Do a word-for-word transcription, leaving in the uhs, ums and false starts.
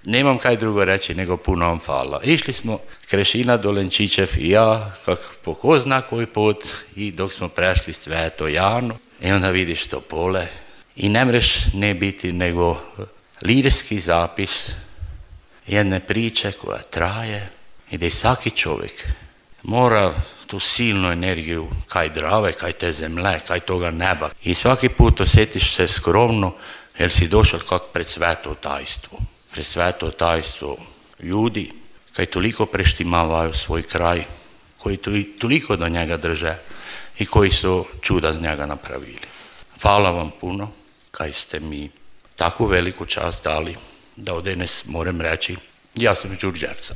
nemam kaj drugo reći nego puno vam hvala. Išli smo Krešina Dolenčićev i ja, kak po ko zna koji put, i dok smo prešli Sveto Jano, i onda vidiš to pole i ne mreš ne biti nego lirski zapis jedne priče koja traje i da svaki čovjek mora tu silnu energiju kaj drave, kaj te zemlje, kaj toga neba. I svaki put osjetiš se skromno jer si došao kak pred sveto tajstvo. Pred sveto tajstvo ljudi kaj toliko preštimavaju svoj kraj, koji toliko do njega drže i koji su čuda z njega napravili. Hvala vam puno kaj ste mi takvu veliku čast dali da od danes moram reći ja sam iz Đurđevca.